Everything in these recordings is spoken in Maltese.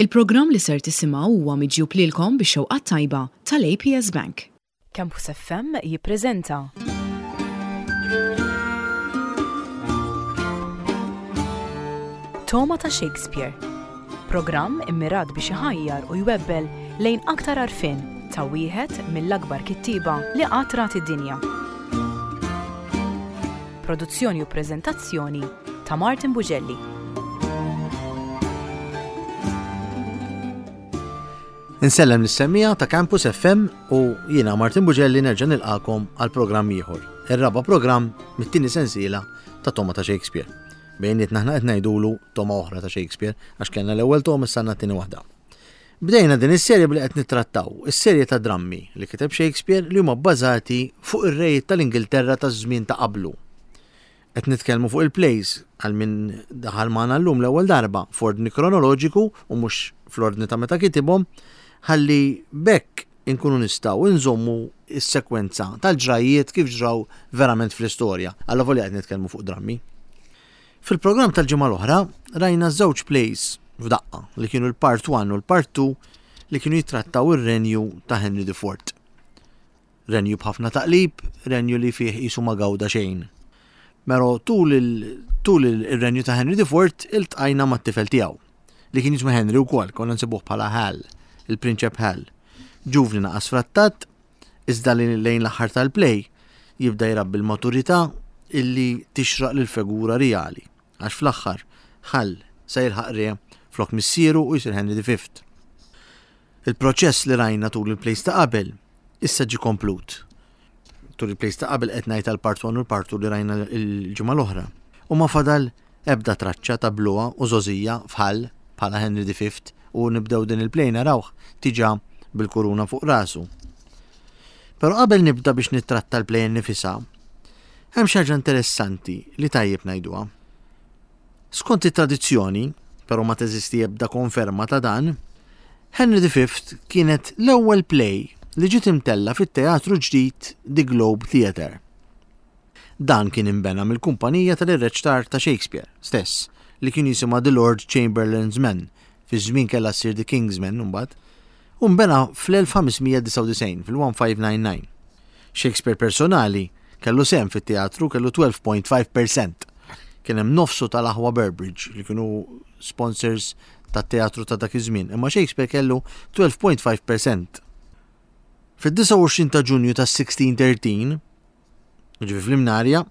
Il-programm li ser tisimgħu huwa miġjub lilkom bix-xewqa t-tajba tal-APS Bank. Campus FM jippreżenta. Togħma ta' Shakespeare. Programm immirat biex iħajjar u jwebbel lejn aktar għarfien ta' wieħed mill-akbar kittieba li qatt rat id-dinja. Produzzjoni u preżentazzjoni ta' Martin Bugelli. Insellem lis-semmiegħa ta' Campus FM u jiena Martin Bugelli nerġa' nilqakom għal programm ieħor. Ir-raba' programm mit-tieni sensiela ta' Toma ta' Shakespeare. Bejnietna aħna qed ngħidulu toma oħra ta' Shakespeare għax kellna l-ewwel toma issa għandna t-tieni waħda. Bdejna din is-serje billi qed nittrattaw is-serje ta' drammi li kiteb Shakespeare li huma bbażati fuq ir-rejiet tal-Ingilterra taż-żmien ta' qablu. Qed nitkellmu fuq il-plays għal min daħal magħna llum l-ewwel darba f'ordni kronoloġiku u mhux fl-ordni ta' meta kitibhom ħalli b'hekk inkunu nistgħu nżommu s-sekwenza tal-ġrajjiet kif ġraw verament fl-istorja, allavolja qed nitkellmu fuq drammi. Fil-programm tal-ġimgħa l-oħra rajna żewġ plays f'daqqa li kienu l-part 1 u l-part 2 li kienu jittrattaw ir-renju ta' Henry IV. Renju b'ħafna taqlib, renju li fih qisu ma gawda xejn. Pero tul il-renju ta' Henry IV iltqajna mat-tifel tiegħu li kien jismu Henry wkoll, konna nsibuh bħala Hal, il-Prinċep Hal. Ġuvni naqas frattat, iżda li lejn l-aħħar tal-play jibda jrabbi l-maturità illi tixraq lill-fegura rijali, għax fl-aħħar Hal se jilħaq re flok missieru u jsir Henry V. Il-proċess li rajna tul il-plays ta' qabel issa ġie komplut. Tul il-plays ta' qabel qed ngħid għal part 1 u l-part 2 li rajna l-ġimgħa l-oħra. U ma fadal ebda traċċa ta' bluha u żgħożija f'Hal bħala Henry the Fifth u nibdew din il-play narawh diġà bil-kuruna fuq rasu. Però qabel nibda biex nittratta l-play innifisha, hemm xi ħaġa interessanti li tajjeb ngħiduha. Skont it-tradizzjoni, però ma teżisti ebda konferma ta' dan, Henry the Fifth kienet l-ewwel play li ġiet imtella' fit-teatru ġdid The Globe Theatre. Dan kien inbena mill-kumpanija tal-irreċtar ta' Shakespeare stess, li kien jisimha The Lord Chamberlain's Men, fiż-żmien kellha ssir The King's Men imbagħad, u nbena fl-1599, fil-1599. Shakespeare personali kellu sehem fit-teatru, kellu 12.5 per cent. Kien hemm nofsu tal-aħwa Burbage li kienu sponsors tat-teatru ta' dak iż-żmien, imma Shakespeare kellu 12.5 per cent. Fid-29 ta' Ġunju tas-1613, Ġifieri fl-Imnarja,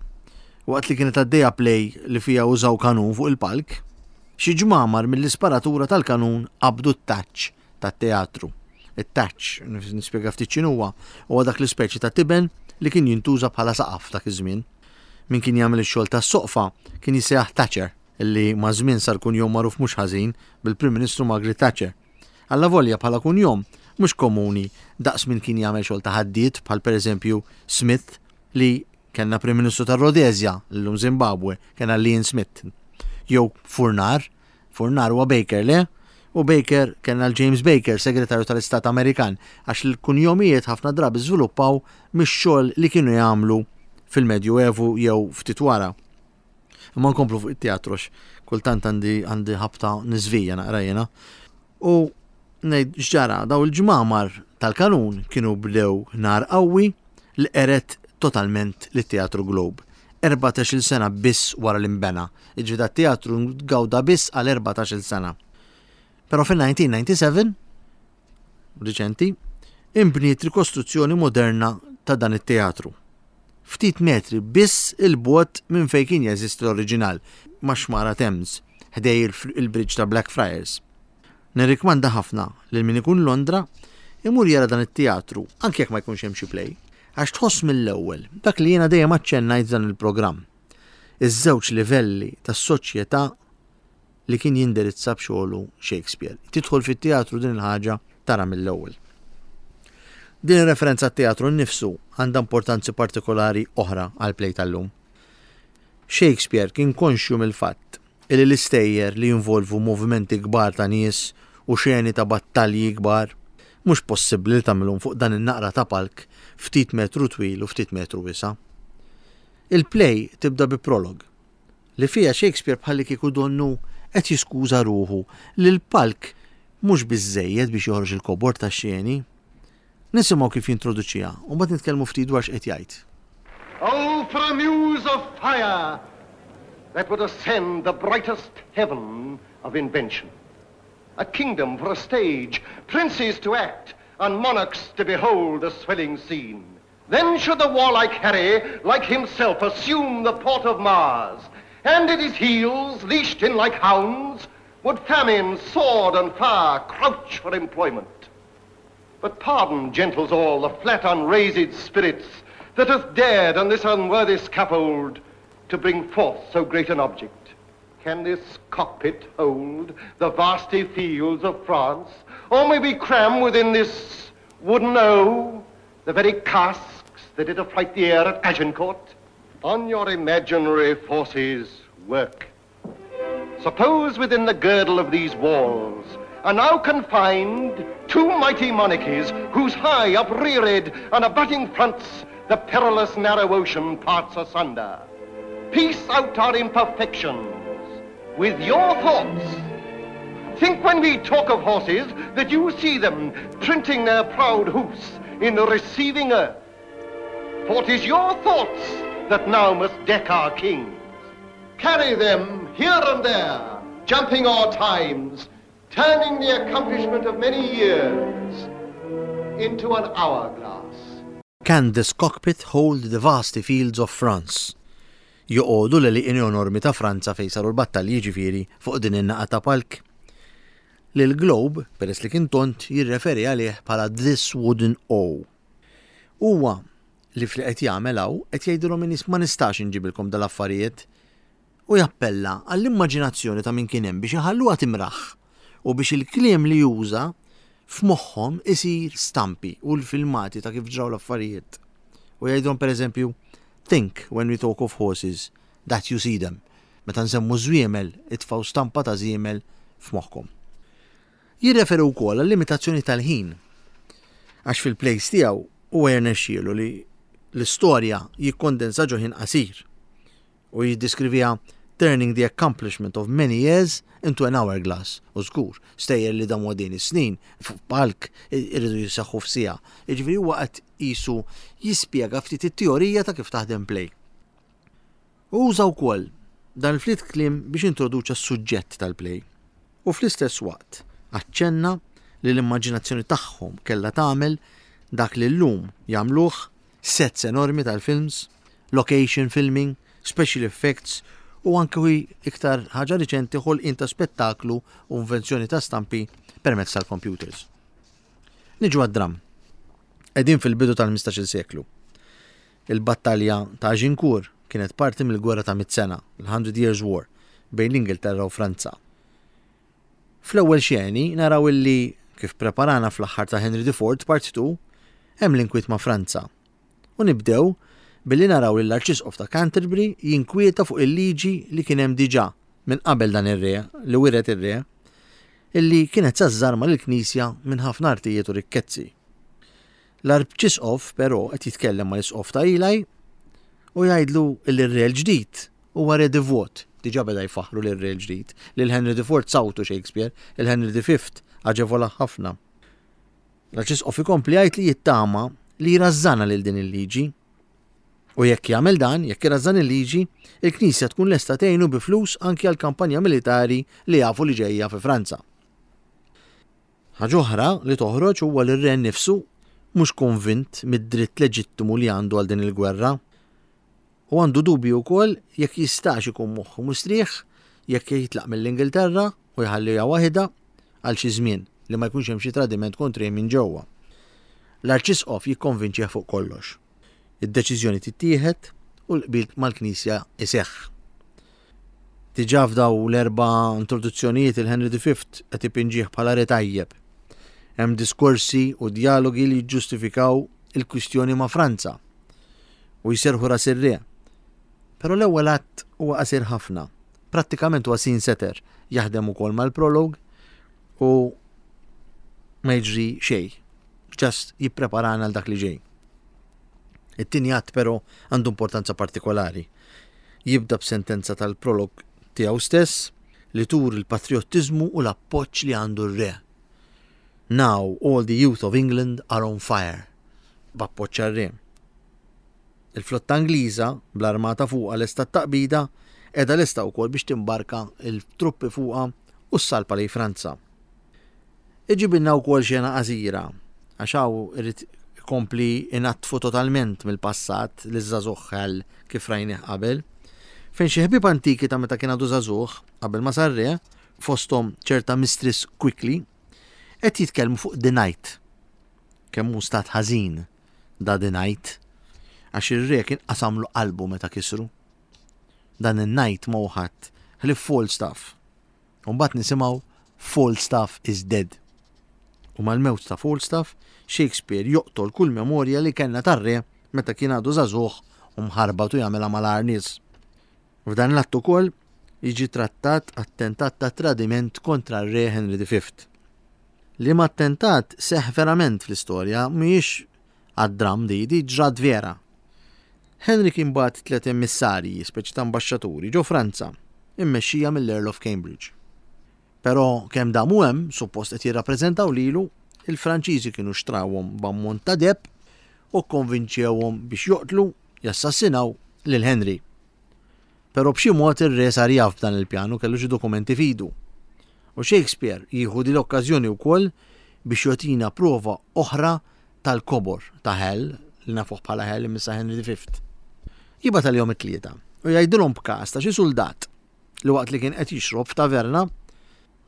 waqt li kienet għaddejja play li fiha użaw kanun fuq il-palk, xi ġmamar mill-isparatura tal-kanun qabdu t-taċ tat-teatru. It-taċ, nispjega ftit x'inhuwa, huwa dak l-ispeċi ta' tiben li kien jintuża bħala saqaf dak iż-żmien. Min kien jagħmel ix-xogħol tas-soqfa kien jissejjaħ Thatcher, li maż-żmien sar kunjom magħruf mhux ħażin bil-Prim Ministru Margaret Thatcher. Allavolja bħala kunjom mhux komuni daqs min kien jagħmel xogħol ta' ħaddied bħal pereżempju Smith li kellna Prim Ministru tar-Rhodesia, llum Zimbabwe, kellna Leon Smith. Jew Furnar, Furnar huwa Baker, le? U Baker kellna l-James Baker, Segretarju tal-Istat Amerikan, għax l-kunjomijiet ħafna drabi żviluppaw mix-xogħol li kienu jagħmlu fil-Medju Evu jew ftit wara. Imma nkomplu fuq it-teatru għax kultant għandi għandi ħabta niżvija naqra jiena. U ngħid x'ġara daw il-ġmamar tal-kanun kienu bdew nar qawwi li qeret totalment lit-Teatru Globe. 14-il sena biss wara li nbena. Jiġifieri dat-teatru gawda biss għal 14-il sena. Però fin-1997, riċenti, inbniet rikostruzzjoni moderna ta' dan it-teatru. Ftit metri biss 'il bogħod minn fejn kien jeżisti l-oriġinal, max-xmara Thames, ħdej il-bridge ta' Blackfriars. Nirrikmanda ħafna lil min ikun Londra imur jara dan it-teatru anke jekk ma jkunx hemm xi play, għax tħoss mill-ewwel dak li jiena dejjem aċċennajt f'dan il-programm, iż-żewġ livelli tas-soċjetà li kien jindirizza b'xogħlu Shakespeare. Tidħol fit-teatru din il-ħaġa tara mill-ewwel. Din ir-referenza għat-teatru nnifsu għandha importanzi partikolari oħra għall-play tal-lum. Shakespeare kien konxju mill-fatt li l-istejjer li jinvolvu movimenti kbar ta' nies u xeni ta' battalji kbar mhux possibbli li tagħmilhom fuq dan in-naqra ta' palk ftit metru twil u ftit metru wiesa'. Il-play tibda bi prolog li fiha Shakespeare bħallikieku donnu qed jiskuża ruħu li l-palk mhux biżżejjed biex joħroġ il-kobor tax-xeni. Nisimgħu kif jintroduċiha u mbagħad nitkellmu ftit dwar x'qed jgħid. Oh for a muse of fire that would ascend the brightest heaven of invention. A kingdom for a stage, princes to act, and monarchs to behold the swelling scene. Then should the warlike Harry, like himself, assume the port of Mars, and at his heels, leashed in like hounds, would famine, sword, and fire crouch for employment. But pardon, gentles all, the flat unraised spirits that hath dared on this unworthy scaffold to bring forth so great an object. Can this cockpit hold the vasty fields of France? Or may we cram within this wooden O the very casks that did affright the air at Agincourt? On your imaginary forces work. Suppose within the girdle of these walls are now confined two mighty monarchies whose high upreared and abutting fronts the perilous narrow ocean parts asunder. Piece out our imperfections with your thoughts. Think when we talk of horses that you see them printing their proud hoofs in the receiving earth. For 'tis your thoughts that now must deck our kings. Carry them here and there, jumping o'er times, turning the accomplishment of many years into an hourglass. Can this cockpit hold the vasty fields of France? Joqogħdu l-għelieqi enormi ta' Franza fejn saru l-battalji jiġifieri fuq din in-naqa ta' palk? Li l-globe, peress li kien tond, jirreferi għalih bħala this wooden O. Huwa li f'li qed jagħmel hawn qed jgħidilhom in-nies ma nistax inġibilkom dal-affarijiet u jappella għall-immaġinazzjoni ta' min kien hemm biex iħalluha timraħ u biex il-kliem li juża f'moħħhom isir stampi u l-filmati ta' kif ġraw l-affarijiet. U jgħidilhom pereżempju, Think when we talk of horses that you see them. Meta nsemmu żwiemel, itfgħu stampa ta' żiemel f'moħħkom. Jirreferi wkoll għal-limitazzjoni tal-ħin, għax fil-plays tiegħu huwa jirnexxielu li l-istorja jikkondensa ġo ħin qasir u jiddeskriviha turning the accomplishment of many years into an hourglass u żgur stejjer li damu għaddejjin is-snin fuq palk iridu jiseħħu f'siegħa. Jiġifieri huwa qed qisu jispjega ftit it-teorija ta' kif taħdem play. Hu uża wkoll dan il-ftit kliem biex introduċa s-suġġett tal-play u fl-istess waqt aċċenna li l-immaġinazzjoni tagħhom kellha tagħmel dak li llum jagħmluh sets enormi tal-films, location filming, special effects u anke iktar ħaġa riċenti ħolqien ta' spettaklu u invenzjoni ta' stampi permezz tal-computers. Niġu għad-dramm. Qegħdin fil-bidu tal-15-il seklu. Il-battalja ta' Agincourt kienet parti mill-Gwerra ta' Mitt Sena, l-Hundred Years War, bejn l-Ingilterra u Franza. Fl-ewwel xeni naraw illi, kif preparana fl-aħħar ta' Henry IV Part 2, hemm l-inkwiet ma' Franza. U nibdew billi naraw lill-Arċisqof ta' Canterbury jinkwieta fuq il-liġi li kien hemm diġà minn qabel dan ir-re, li wiret ir-re, illi kienet sa żżarma lill-Knisja minn ħafna artijiet u rikkezzi. L-Arċisqof, però, qed jitkellem mal-Isqof ta' Ely u jgħidlu li r-re l-ġdid huwa re divot. Diġà beda jfaħħru lir-re l-ġdid. Lil Henry IV sawtu Shakespeare, il Henry V aġevolah ħafna. L-Arċisqof ikompli jgħid li jittama li jrażżanha lil din il-liġi. U jekk jagħmel dan, jekk irażżan il-liġi, il-Knisja tkun lesta tgħinu bi flus anki għal kampanja militari li jafu li ġejja fi Franza. Ħaġa oħra li toħroġ huwa li r-re nnifsu mhux konvint mid-dritt leġittimu li għandu għal din il-gwerra. U għandu dubji wkoll jekk jistax ikun moħħu mustrieħ jekk jitlaq mill-Ingilterra u jħalliha waħidha għal xi żmien li ma jkunx hemm xi tradiment kontrih minn ġewwa. L-Arċisqof jikkonvinċih fuq kollox. Id-deċiżjoni tittieħed u l-qbil mal-Knisja jseħħ. Diġà f'daw l-erba' introduzzjonijiet il-Henry V qed ipinġih bħala re tajjeb. Hemm diskorsi u djalogi li jiġġustifikaw il-kwistjoni ma' Franza u jserrħu ras ir-re. Però l-ewwel att huwa qasir ħafna. Prattikament huwa scene setter, jaħdem ukoll mal-prologue u ma jiġri xejn. Just jippreparana għal dak li ġej. It-tieni att però għandu importanza partikolari. Jibda b'sentenza tal-prolog tiegħu stess li turi l-patrijottiżmu u l-appoġġ li għandu r-re. Now all the youth of England are on fire, b'appoġġ għar-re. Il-flotta Ingliża, bl-armata fuqha lesta t-taqbida, qiegħda lesta wkoll biex timbarka l-truppi fuqha u ssalpa lejn Franza. Iġibilna wkoll xena qasira, għax hawn irid ikompli inaddfu totalment mill-passat liż-żagħżugħ Hal kif rajnih qabel, fejn xi ħbieb antiki ta' meta kien għadu żagħżugħ, qabel ma sar re, fosthom ċerta Mistress Quickly, qed jitkellmu fuq The Night. Kemm hu stat ħażin da The Night, għax ir-re kien qasamlu qalbu meta kisru. Dan in-Night ma hu ħadd ħlief Falstaff. U mbagħad nisimgħu Falstaff is dead. U mal-mewt ta' Falstaff, Shakespeare joqtol kull memorja li kellna tar-re meta kien għadu żagħżugħ u mħarbat u jagħmilha mal-agħar nies. F'dan l-att ukoll jiġi trattat attentat ta' tradiment kontra r-Re Henry V. Liema attentat seħħ verament fl-istorja, mhijiex għad-dramm di, di ġrat vera. Henry kien bagħat tliet emissarji, speċi ta' ambaxxaturi, ġo Franza, immexxija mill-Earl of Cambridge. Però kemm damu hemm, suppost qed jirrappreżentaw lilu, il-Franċiżi kienu xtrawhom b'ammont ta' deheb u kkonvinċewhom biex joqtlu, jassassinaw, lil Henry. Però b'xi mod ir-re sar jaf b'dan il-pjan u kellu xi dokumenti f'idu. U Shakespeare jieħu din l-okkażjoni wkoll biex jogħtina prova oħra tal-kobor ta' Hal, li nafuh bħala Hal imma issa Henry V. Jibgħat għalihom it-tlieta u jgħidilhom b'każ ta' xi suldat li waqt li kien qed jixrob f'taverna,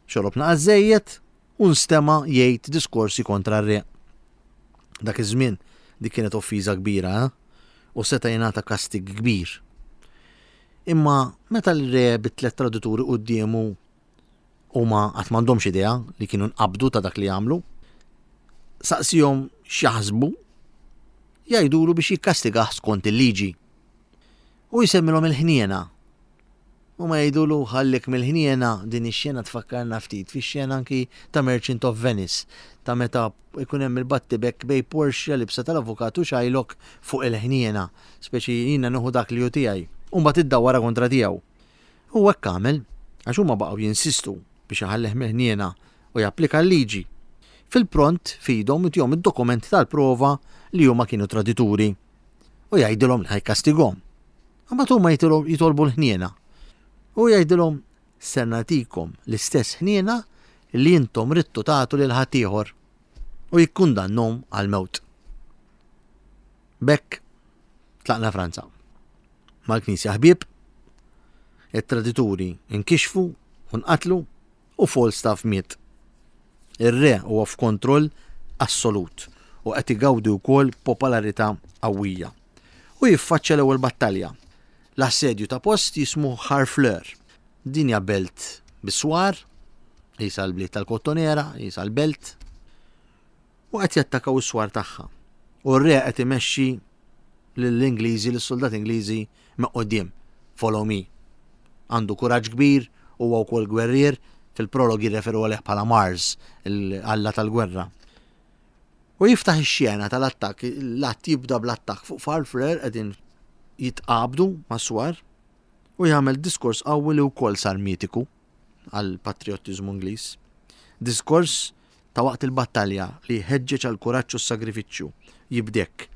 xorob naqas żejjed u nstema' jgħid diskorsi kontra r-re. Dak iż-żmien dik kienet offiża kbira, eh? U seta' jingħata kastig kbir. Imma meta l-re bit-tlet tradituri quddiemu huma qatt m'għandhomx idea li kienu nqabdu ta' dak li għamlu, saqsihom x'jaħsbu, jgħidulu biex jikkastigah skont il-liġi. U jsemmilhom il-ħniena Huma jgħidulu ħallik mill-ħniena, din ix-xena tfakkarna ftit fix-xena anki ta' Merchant of Venice, ta' meta jkun hemm il-battibekk bejn Portia libsa tal-avukat u Shylock fuq il-ħniena, speċi jiena nieħu dak li hu tiegħi, u mbagħad iddawwarha kontra tiegħu. U hekk għamel, għax huma baqgħu jinsistu biex iħallih mill-ħniena u japplika l-liġi. Fil-pront f'idhom itihom id-dokumenti tal-prova li huma kienu tradituri u jgħidilhom li ħa jkastigahom. Imbagħad huma jitolbu l-ħniena. U jgħidilhom, Ser nagħtikom l-istess ħniena li intom ridtu tagħtu lil ħaddieħor. U jikkundannhom għall-mewt. B'hekk tlaqna Franza. Mal-Knisja ħbieb, it-tradituri nkixfu u nqatlu u Falstaff miet. Ir-re huwa f'kontroll assolut u qed igawdi wkoll popolarità qawwija. U jiffaċċja l-ewwel battalja, l-assedju ta' post jismu Harfleur. Din hija belt bis-swar, qisha l-bliet tal-Kottonera, qisha l-belt, u qed jattakaw is-swar tagħha. U r-re qed imexxi lill-Ingliżi, lis-soldati Ingliżi minn quddiem. Follow me. Għandu kuraġġ kbir, huwa wkoll gwerrier, fil-prolog jirreferu għalih bħala Mars, l-alla tal-gwerra. U jiftaħ ix-xena tal-attakk, l-att jibda bl-attakk fuq Farfrer qegħdin jitqabdu mas-swar u jagħmel diskors qawwi li wkoll sar mitiku għall-patrijottiżmu Ingliż. Diskors ta' waqt il-battalja li jħeġġeġ għall-kuraġġ u s-sagrifiċċju. Jibda hekk.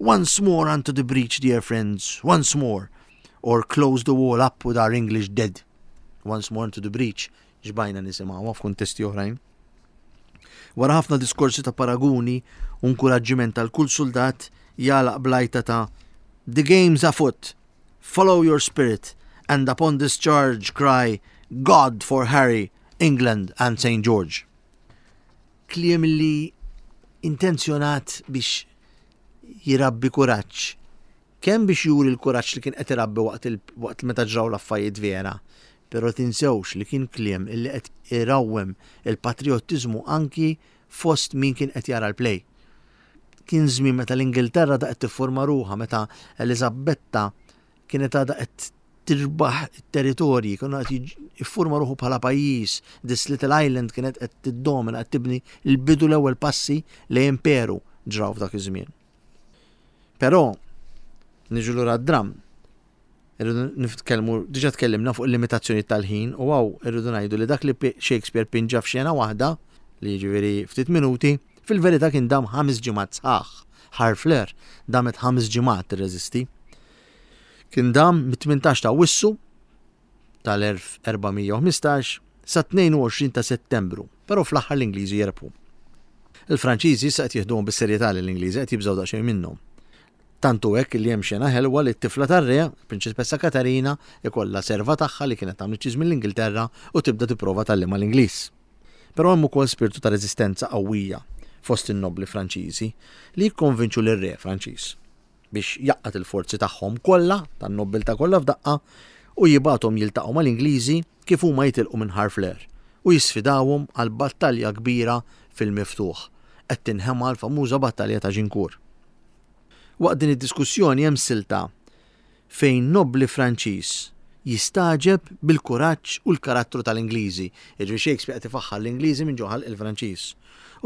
Once more unto the breach, dear friends, once more, or close the wall up with our English dead. Once more unto the breach, xbajna nisimgħuha f'kuntesti oħrajn. Wara ħafna diskorsi ta' paraguni u nkuraġġiment għal kull suldat jagħlaq bl-għajta ta' The game's afoot, follow your spirit, and upon this charge cry God for Harry, England and St. George. Kliem li intenzjonat biex jirabbi kuraġġ. Kemm biex juri l-kuraġġ li kien qed irabbi waqt, waqt meta ġraw l-affarijiet vera, però tinsewx li kien kliem illi qed irawwem il-patriottiżmu anki fost min kien qed jara l-play. Kien żmien meta l-Ingilterra da qed tifforma ruħha, meta Eliżabetta kienet għadha qed tirbaħ it-territorji, kienu qed jiffurma ruħu bħala pajjiż, this little island kienet qed tiddomina, qed tibni l-bidu l-ewwel passi lejn imperu ġraw f'dak iż-żmien. Però niġu lura d-dram, irridu nitkellmu, diġà tkellimna fuq il-limitazzjoni tal-ħin u hawn irridu ngħidu li dak li Shakespeare pinġa f'xena waħda, li jiġifieri ftit minuti, fil-verità kien dam ħames ġimgħat sħaħ. Harfleur damet ħames ġimgħat tirreżisti. Kien dam mit-18 ta' Awwissu tal-1415 sa 22 ta' Settembru, però fl-aħħar l-Ingliżi jerbħu. Il-Franċiżi issa qed jieħduhom bis-serjetà lill-Ingliżi qed jibżgħu daqsxejn minnhom. Tant hu hekk li hemm xena ħelwa li t-tifla tar-re, il-Prinċipessa Katarina, ikollha serva tagħha li kienet għamlet xi żmien l-Ingilterra u tibda tipprova tgħallimha l-Ingliż. Però hemm ukoll spirtu ta' reżistenza qawwija fost in-nobbli Franċiżi li jikkonvinċu lir-re Franċiż biex jgħaqqad il-forzi tagħhom kollha, tan-nobbiltà kollha f'daqqa, u jibgħathom jiltaqgħu mal-Ingliżi kif huma jitilqu minn Harfleur u jisfidawhom għal battalja kbira fil-miftuħ. Qed tinħema l-famuża battalja ta' Agincourt. Waqt din id-diskussjoni hemm silta fejn nobbli Franċiż jistagħġeb bil-kuraġġ u l-karattru tal-Ingliżi, jiġifieri Shakespeare qed ifaħħar l-Ingliżi minn ġo ħalq il-Franċiż,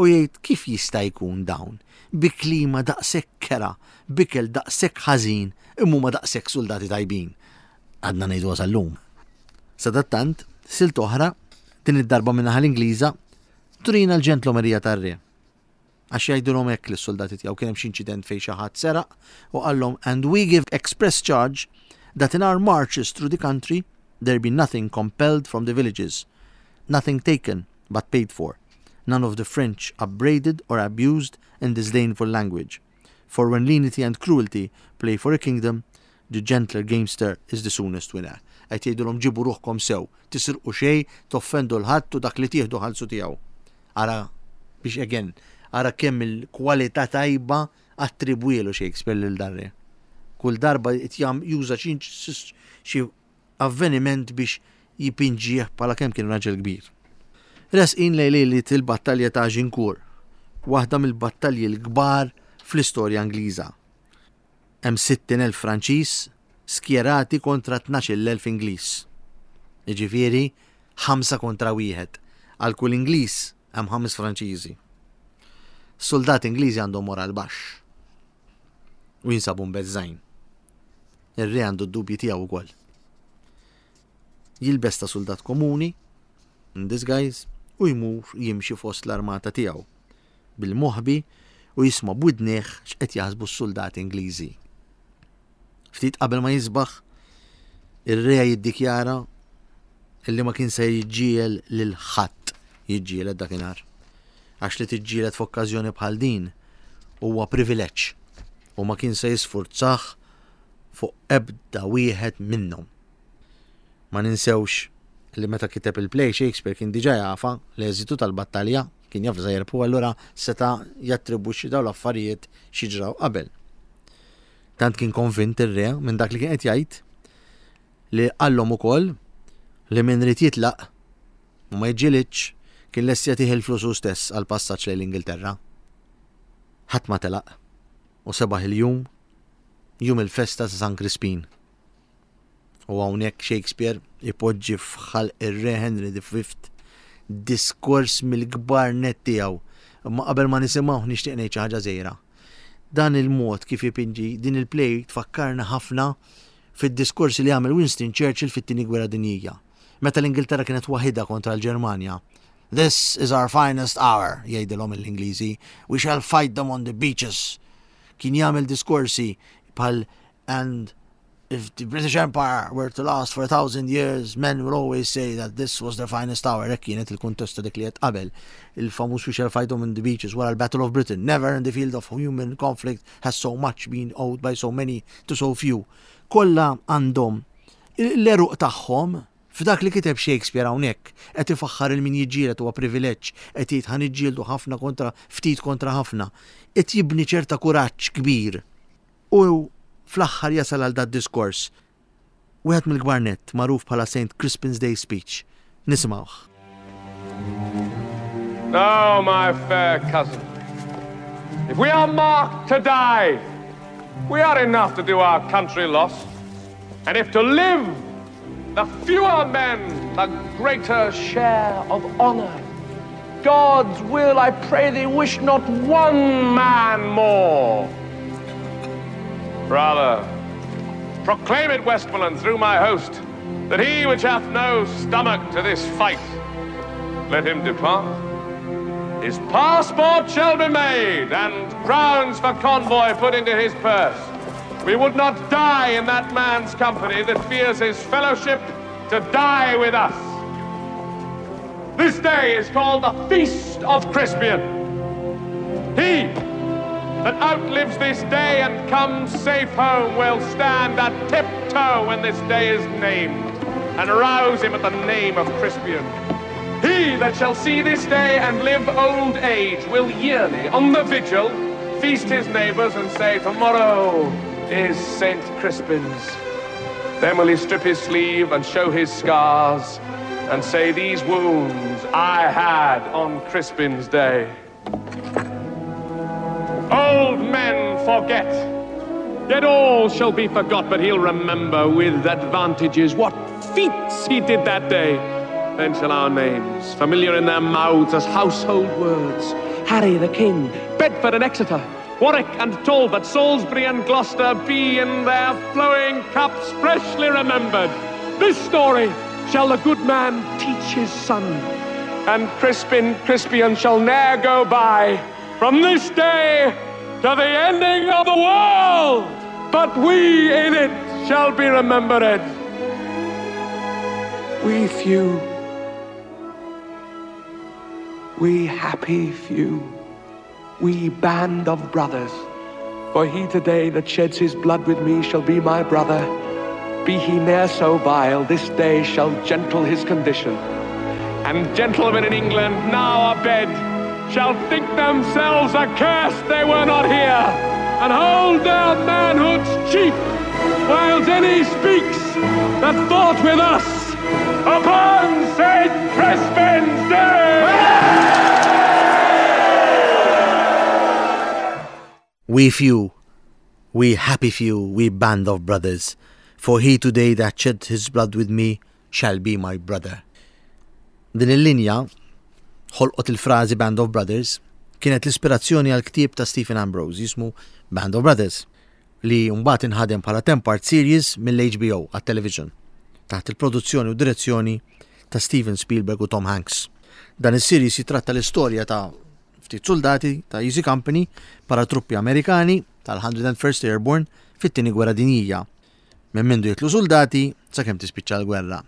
u jgħid kif jista' jkun dawn, bi klima daqshekk kerha, b'ikel daqshekk ħażin, imma huma daqshekk suldati tajbin. Għadna ngħiduha sal-lum. Sadattant, silta oħra, din id-darba min-naħa l-Ingliża, turina l-ġentlomerija tar-re. Għax jgħidilhom hekk lis-suldati tiegħu kien hemm xi inċident fejn xi ħadd seraq u qallhom and we give express charge that in our marches through the country there be nothing compelled from the villages, nothing taken but paid for, none of the French upbraided or abused in disdainful language. For when lenity and cruelty play for a kingdom, the gentler gamester is the soonest winner. Qed jgħidulhom ġibu ruħkom sew, tisirqu xejn, toffendu 'l ħadd u dak li tieħdu ħallsu tiegħu. Ara biex again, ara kemm il-kwalità tajba attribwielu Shakespeare lil dan re. Kull darba qed juża xi avveniment biex jipinġih bħala kemm kien raġel kbir. Resqin lejn lejliet il-battalja ta' Agincourt, waħda mill-battalji l-kbar fl-istorja Ingliża. Hemm 60,000 Franċiż skjerati kontra 12,000 Ingliż. Jiġifieri ħamsa kontra wieħed. Għal kull Ingliż hemm ħames Franċiżi. Suldati Ingliżi għandhom moral baxx u jinsabu mbeżżgħin. Ir-re għandu d-dubji tiegħu wkoll. Jilbes ta' suldat komuni, in disguise, u jmur jimxi fost l-armata tiegħu bil-moħbi u jisma' b'widnejh x'qed jaħsbu s-suldati Ingliżi. Ftit qabel ma jisbaħ, ir-re jiddikjara illi ma kien se jiġġiegħel lil ħadd jiġġieled dakinhar. Għax li tiġġieled f'okkażjoni bħal din huwa privileġġ u ma kien se jisfurzah fuq ebda wieħed minnhom. Ma ninsewx li meta kiteb il-play Shakespeare kien diġà jafha l-eżitu tal-battalja, kien jaf li se jirbħu allura seta' jattribwixxi dawn l-affarijiet xi ġraw qabel. Tant kien konvint ir-re minn dak li kien qed jgħid li qallhom ukoll li min ried jitlaq u ma jiġġielidx kien lest jagħtih il-flus hu stess għall-passaġġ lejn l-Ingilterra. Ħadd ma telaq u sebaħ il-jum, jum il-festa ta' San Crispin. U hawnhekk Shakespeare ipoġġi f'ħalq ir-Re Henry V diskors mill-kbar nett tiegħu. Imma qabel ma nisimgħuh nixtieq ngħid xi ħaġa żgħira. Dan il-mod kif ipinġi din il-play tfakkarna ħafna fid-diskorsi li għamel Winston Churchill fit-Tieni Gwerra Dinjija. Meta l-Ingilterra kienet waħidha kontra l-Ġermanja. This is our finest hour, jgħidilhom l-Ingliżi. We shall fight them on the beaches. Kien jagħmel diskorsi bħal and if the British Empire were to last for a 1,000 years, men will always say that this was their finest hour. Hekk kienet il-kuntest ta' dik li qed qabel. Il-famuż we shall fight them in the beaches wara l-Battle of Britain. Never in the field of human conflict has so much been owed by so many to so few. Kollha għandhom l-għeruq tagħhom f'dak li kiteb Shakespeare hawnhekk. Qed ifaħħar il min jiġġieled huwa privileġġ, qed jgħid ħa niġġieldu ħafna kontra ftit kontra ħafna. Qed jibni ċerta kuraġġ kbir. U fl-aħħar jasal għal dad-diskors, wieħed mill-kbar nett, magħruf bħala Saint Crispin's Day Speech. Nisimgħuh. Now, my fair cousin, if we are marked to die, we are enough to do our country loss. And if to live, the fewer men, the greater share of honor. God's will, I pray thee, wish not one man more. Rather, proclaim it, Westmoreland, through my host, that he which hath no stomach to this fight, let him depart. His passport shall be made, and crowns for convoy put into his purse. We would not die in that man's company that fears his fellowship to die with us. This day is called the Feast of Crispian. He that outlives this day and comes safe home will stand at tiptoe when this day is named, and rouse him at the name of Crispian. He that shall see this day and live old age will yearly, on the vigil, feast his neighbors and say, Tomorrow is St. Crispin's. Then will he strip his sleeve and show his scars and say, These wounds I had on Crispin's day. Old men forget. Yet all shall be forgot, but he'll remember with advantages what feats he did that day. Then shall our names, familiar in their mouths as household words, Harry the King, Bedford and Exeter, Warwick and Talbot, Salisbury and Gloucester, be in their flowing cups freshly remembered. This story shall the good man teach his son, and Crispin Crispian shall ne'er go by from this day to the ending of the world, but we in it shall be remembered. We few, we happy few, we band of brothers. For he today that sheds his blood with me shall be my brother. Be he ne'er so vile, this day shall gentle his condition. And gentlemen in England now abed shall think themselves accursed they were not here, and hold their manhoods cheap, whiles any speaks that fought with us upon St. Crispin's Day! We few, we happy few, we band of brothers, for he today that shed his blood with me shall be my brother. Din il-linja, ħolqot il-frażi Band of Brothers, kienet l-ispirazzjoni għal ktieb ta' Stephen Ambrose jismu Band of Brothers, li mbagħad inħadem bħala 10-part series mill-HBO għat-television, taħt il-produzzjoni u direzzjoni ta' Steven Spielberg u Tom Hanks. Dan is-series jitratta l-istorja ta' ftit suldati ta' Easy Company, paratruppi Amerikani tal-101st Airborne fit-Tieni Gwerra Dinjija. Minn mindu jitlu suldati sakemm tispiċċa l-gwerra.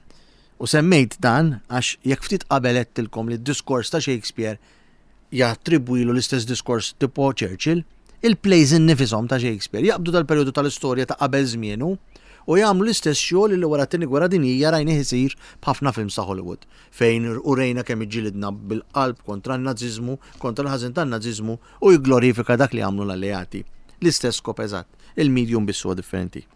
U semmejt dan għax jekk ftit qabel għedtilkom li d-diskors ta' Shakespeare jattribwilu l-istess diskors tipo Churchill, il-plays innifishom ta' Shakespeare jaqbdu dal-perjodu tal-istorja ta' qabel żmienu u jagħmlu l-istess xogħol li wara t-Tieni Gwerra Dinjija rajnih isir b'ħafna films ta' Hollywood fejn urejna kemm iġġilidna bil-qalb kontra n-Naziżmu, kontra l-ħażin tan-Naziżmu u jigglorifika dak li għamlu l-Alleati. L-istess skop eżatt, il-medium biss huwa differenti.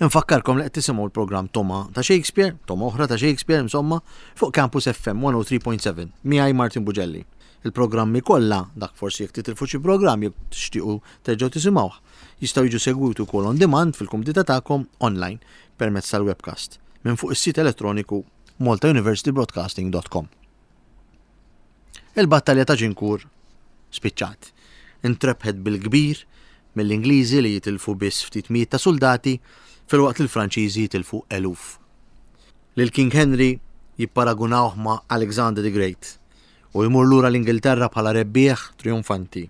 Infakkarkom li qed tisimgħu l-programm Toma ta' Shakespeare, Toma oħra ta' Shakespeare insomma, fuq Campus FM 103.7, miegħi Martin Bugelli. Il-programmi kollha, dak forsi jekk titilfu xi programm jekk tixtiequ terġgħu tisimgħuh, jistgħu jiġu segwiti wkoll on demand fil-kumdità tagħkom online permezz tal-webcast minn fuq is-sit elettroniku maltauniversitybroadcasting.com. Il-battalja ta' Ġinkur spiċċat. Intrebħet bil-kbir mill-Ingliżi li jitilfu biss ftit mijiet ta' suldati filwaqt li l-Franċiżi jitilfu eluf. Lil King Henry jipparagunawh ma' Alexander the Great u jmur lura l-Ingilterra bħala rebbieħ trionfanti.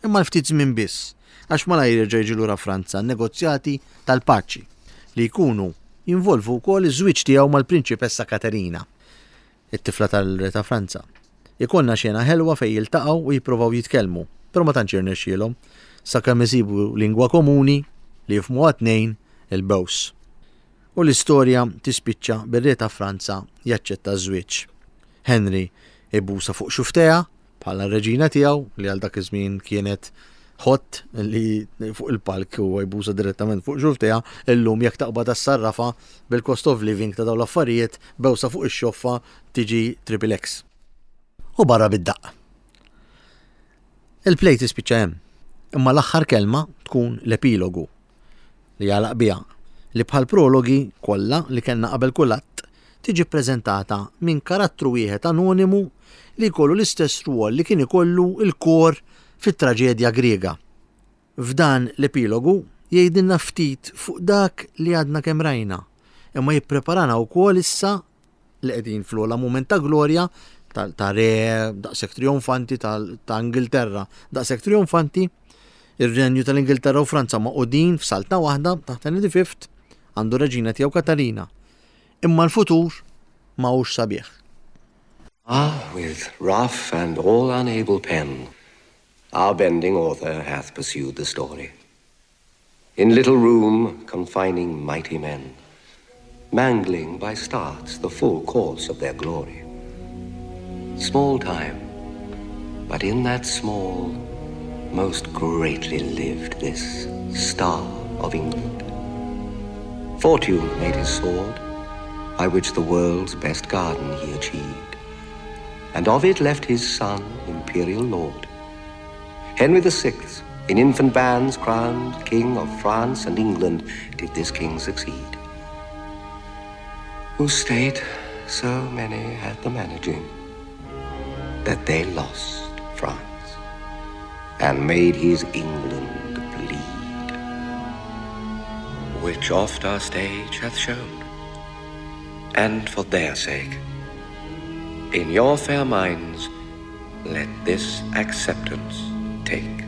Imma l-ftit żmien biss, għax malajr jerġa' jiġi lura Franza għan-negozjati tal-paċi li jkunu jinvolvu wkoll iż-żwieġ tiegħu mal-Prinċipessa Katerina, it-tifla tal-Re ta' Franza. Ikollna xena ħelwa fejn jiltaqgħu u jipprovaw jitkellmu, però ma tantx jirnexxielhom, sakemm isibu lingwa komuni li jifhmuha t-tnejn, il-bews. U l-istorja tispiċċa bir-Re ta' Franza jaċċetta ż-żwieġ. Henry ibusha fuq xufftejha bħala r-reġina tiegħu li għal dak iż-żmien kienet hot li fuq il-palk huwa jbusa direttament fuq xufftejha, illum jekk taqbad għas-sarrafa bil-cost of living ta' dawn l-affarijiet bewsa fuq ix-xoffa tiġi triple X. U barra bid-daqq. Il-play tispiċċa hemm, imma l-aħħar kelma tkun l-epilogu li jagħlaq biha, li bħall-prologi kollha li kellna qabel kull att, tiġi ppreżentata minn karattru wieħed anonimu li jkollu l-istess rwol li kien ikollu l-kor fit-traġedja Griega. F'dan l-epilogu jgħidilna ftit fuq dak li għadna kemm rajna, imma jippreparana wkoll issa li qegħdin fl-ogħla mument ta' glorja ta' re daqshekk trionfanti ta' Ingilterra daqshekk trionfanti, ir-renju tal-Ingilterra u Franza magħqudin f'saltna waħda taħt Henry V għandu reġina tiegħu Katarina. Imma l-futur ma hux sabiħ. Ah, with rough and all unable pen, our bending author hath pursued the story. In little room confining mighty men, mangling by starts the full course of their glory. Small time, but in that small, most greatly lived this star of England. Fortune made his sword, by which the world's best garden he achieved, and of it left his son imperial lord. Henry the Sixth, in infant bands crowned King of France and England, did this king succeed. Whose state so many had the managing, that they lost France and made his England bleed, which oft our stage hath shown, and for their sake, in your fair minds, let this acceptance take.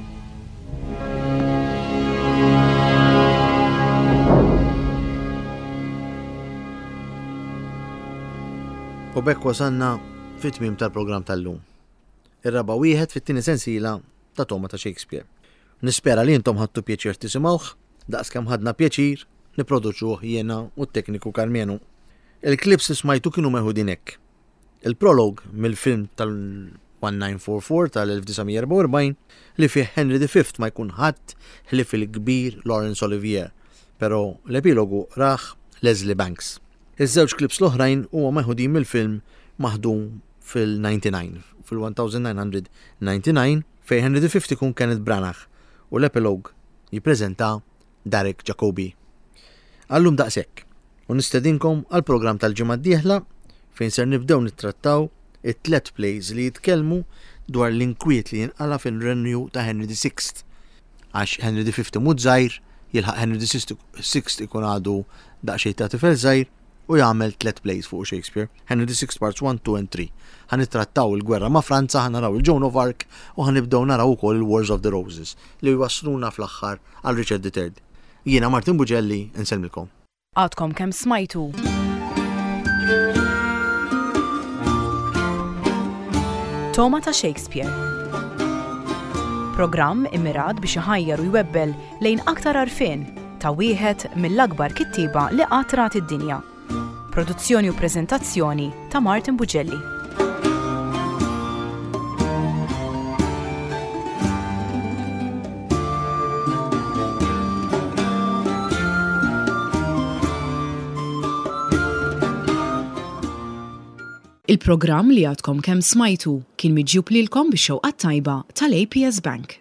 U b'hekk wasalna fit-tmiem tal-programm tal-lum. Ir-raba' wieħed fit-tieni sensiela ta' Toma ta' Shakespeare. Nispera li intom ħadtu pjaċir tisimgħuh daqskemm ħadna pjaċir nipproduċuh jiena u t-tekniku Karmenu. Il-clips li smajtu kienu meħudin hekk. Il-prologue mill-film tal-1944 tal-1944 li fih Henry V ma jkun ħadd ħlief il-kbir Laurence Olivier, però l-epilogu qrah Leslie Banks. Iż-żewġ clips l-oħrajn huma meħudin mill-film maħdum fil-99, fil-1999 fejn Henry V ikun Kenneth Branagh u l-epilogue jippreżenta Derek Jacobi. Għallum daqshekk, u nistedinkom għall-programm tal-ġimgħa d-dieħla fejn ser nibdew nittrattaw it-tlet plays li jitkellmu dwar l-inkwiet li jinqala' fil-renju ta' Henry VI. Għax Henry V imut żgħir, jilħaq Henry VI ikun għadu daqsxejn ta' tifel żgħir u jagħmel tlet plays fuq Shakespeare, Henry VI Parts 1, 2 and 3. Ħa nittrattaw il-gwerra ma' Franza, ħa naraw il-Joan of Arc u ħa nibdew naraw ukoll il-Wars of the Roses li jwassluna fl-aħħar għal Richard III. Jiena Martin Bugelli, insellmilkom. Għadkom kemm smajtu. Toma ta' Shakespeare. Programm immirat biex iħajjar u jwebbel lejn aktar għarfien ta' wieħed mill-akbar kittieba li qatt rat id-dinja. Produzzjoni u preżentazzjoni ta' Martin Bugelli. Il-programm li għadkom kemm smajtu kien miġjub lilkom bix-xewqa t-tajba tal-APS Bank.